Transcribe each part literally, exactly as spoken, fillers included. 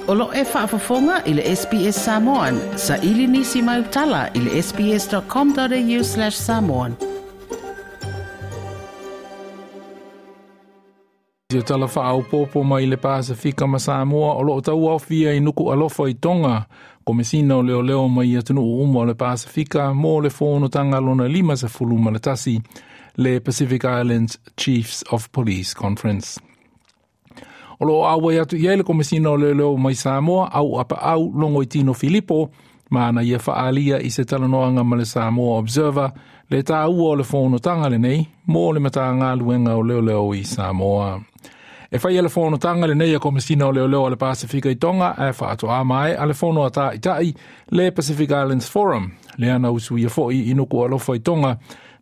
O lo e faafofoga i le S B S Samoan. Sa ili nisi mai utala i le sbs.com.au slash samoan. Ia tala whaaupopo mai le Pasifika ma Samoa o loo tau aufia i nuku alofa i Tonga. Komesina o leo leo mai atunuu uma o le Pasifika mo le fonotaga lona lima sefulu ma le tasi le Pacific Islands Chiefs of Police Conference. O loo auai atu i ai le komesina o leo leo mai Samoa au apa au longo i Tino Filipo ma na ia whaalia i se talanoanga ma le Samoa Observer le tāua o le fonotaga lenei mo le matagaluega o leoleo i Samoa. E whai le fonotaga lenei a komesina o leoleo a le Pasifika i Tonga e whaatoa mai a le fono a tāitai le Pacific Islands Forum le ana usu ia foi i nuku alofa i Tonga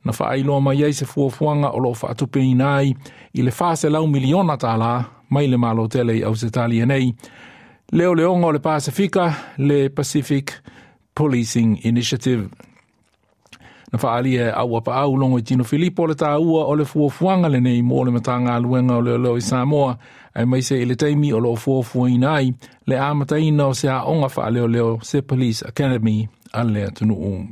na whaailoa mai ai se fuafuaga o loo whaatupeina ai i le whaselau miliona tālā mai le malo tele i Ausetalia nei. Leo leonga o le Pasifika, le Pacific Policing Initiative. Na whaalia e aua pa au longo i Tino Filipo le tāua o le fuafuaga lenei mo le matagaluega o leoleo i Samoa ai maise i le taimi o loo fuafuaina ai le amataina o se aoga faaleoleo se Police Academy a le atunuu.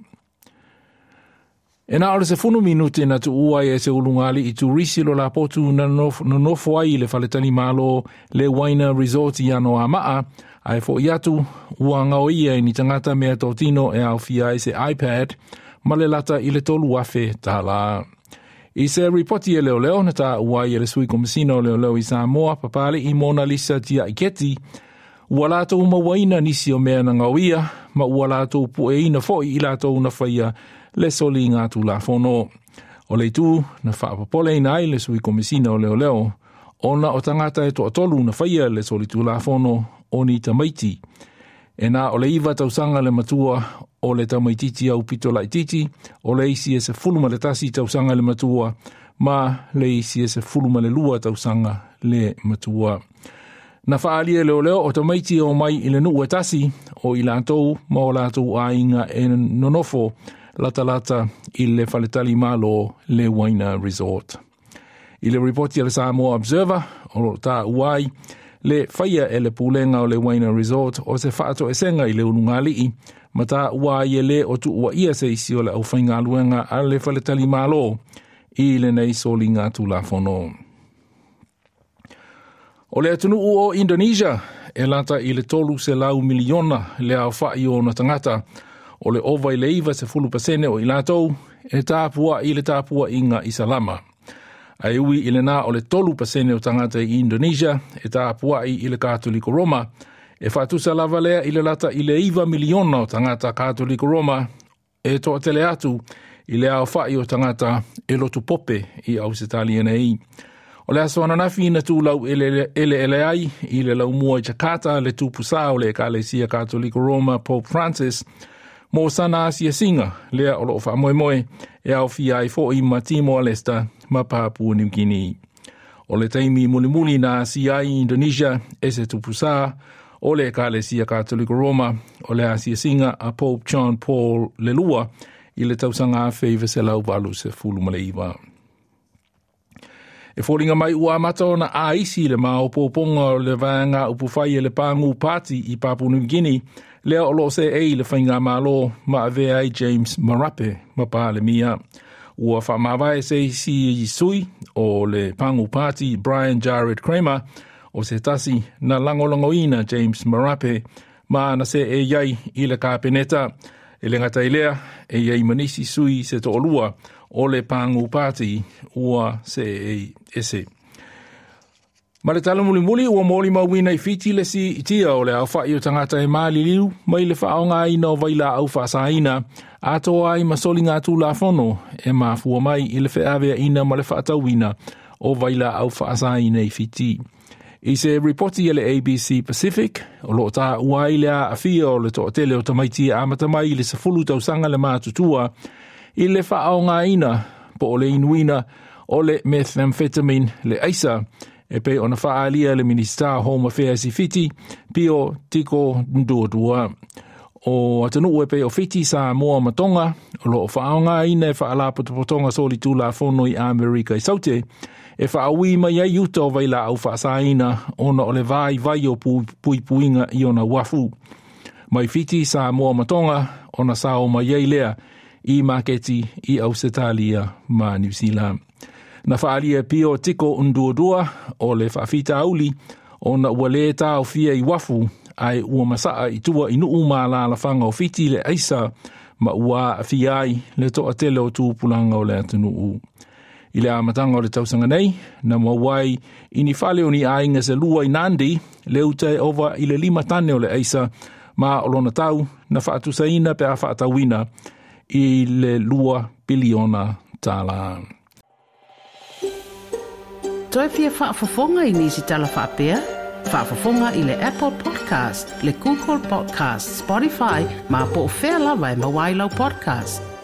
E na o le sefunu minute na tuua ai e se ulungali i turisi lo lapotu na nonofo ai i le faletali malo le Waina Resort i ano a maa, ai fo i atu ua ngao ia i ni tangata mea tōtino e aufia ai se iPad ma le lata i le tolu afe tālā. I se ripoti e leo leo na tā uai e le sui komisina o leo leo i Samoa papale i Mona Lisa tia i keti, ua lātou mawaina nisi o mea na ngauia, ma ua lātou pueina foi i lātou na whaia le soli ngā tūlafono. O le tū na whaapapole ina ai le sui komisina o leo leo, ona o tangata e toatolu na whaia le soli tūlafono o ni tamaiti. E nā o le iwa tausanga le matua o le tamaititi au pito laititi, o le isi e se fulu ma le tasi tausanga le matua, ma le isi e se fulu ma le lua tausanga le matua. Na whaalia leo leo o tamaiti o mai i le nuu e tasi o i lātou ma o lātou ainga e nonofo lata lata i le faletali malo le Waina Resort. I le ripoti a le Samoa Observer o lo tā uai le whaia e le pūlenga o le Waina Resort o se whaato e senga i le ulungalii ma tā uai e le o tuua ia se isi o le au whaingaluenga a le faletali malo i le nei soli ngā tūlafono. O le atunuu o Indonesia e lata i le tolu se lau miliona le au whai o na tangata o le ova i le iwa se fulu pasene o i lātou e tāpua i le tāpua i ngā isalama. Ai ui i le nā o le tolu pasene o tangata i Indonesia e tāpua i i le Katoliko Roma e whatusa lava lea i le lata i le iwa miliona o tangata Katoliko Roma e toa tele atu i le au whai o tangata e lotu pope i Ausetalia nei. O le aso ananafi na tūlau ele ele ele ai i le laumua i Jakarta le tupusā o le Ekalesia Katoliko Roma Pope Francis mo sana asia singa lea o loo whaamoemoe e au fia ai fo i ma Timor Leste ma Papua New Guinea. O le taimi mulimuli na asia ai Indonesia e se tupusā o le Ekalesia Katoliko Roma o le asia singa a Pope John Paul Lelua i le tausanga afe i veselau valu se fulu ma le iwa. E fōringa mai ua amata ona a isi le maopoponga o le vaenga upuwhai e le pāngu pāti i Papua New Guinea lea o loo se ei le whainga malo ma avea ai James Marape ma Pālemia. Ua whaamavae se isi i sui o le pāngu pāti Brian Jared Kramer o se tasi na langolangoina James Marape ma na se e iai i le kāpeneta. E le ngata i lea e iai manisi sui se to'olua o le pāngu pāti ua se e ese. Ma le tala mulimuli ua mōli mauina i Fiti le si itia o le au whai o tangata e māliliu mai le whaonga aina o vaila au whaasaina atoa ai masoli ngā tūlafono e mafua mai i le wheawea ina ma le whaatauina o vaila au whaasaina i Fiti. I se ripoti e le A B C Pacific, o loo tā ua i le a awhia o le toatele o tamaiti a amatamai i le sefulu tausanga le mātutua i le whaonga aina po o le inuina o le methamphetamine le aisa e pe ona whaalia le Minista Home Affairs i Fiti, Pio Tiko Ndodua. O atunuu e pei o Fiti, Samoa ma Tonga, o loo faaaogāina e faalapotopotoga solitulafono i Amerika i Saute, e faaui mai ai uta o vailaau faasāina ona o le vaivai o puipuiga i ona uafu. Mai Fiti, Samoa ma Tonga, ona sao mai ai lea i maketi i Ausetalia ma Niu Sila. Na faaalia e Pio Tiko Duadua o le faafitauli ona ua lē taofia i uafu ae ua masaa i tua i nuu ma alalafaga o Fiti le aisa ma ua aafia ai le toatele o tupulaga o le atunuu. I le amataga o le tausaga nei, na maua ai i ni fale o ni aiga se lua i Nandi, le uta e ova i le lima tane o le aisa ma o lona tau na faatusaina pe a faatauina i le lua piliona tālā. Toe fia faafofoga i nisi tala faapea? Faafofoga i le Apple Podcast, le Google Podcast, Spotify, ma po o fea lava e maua ai lau podcast.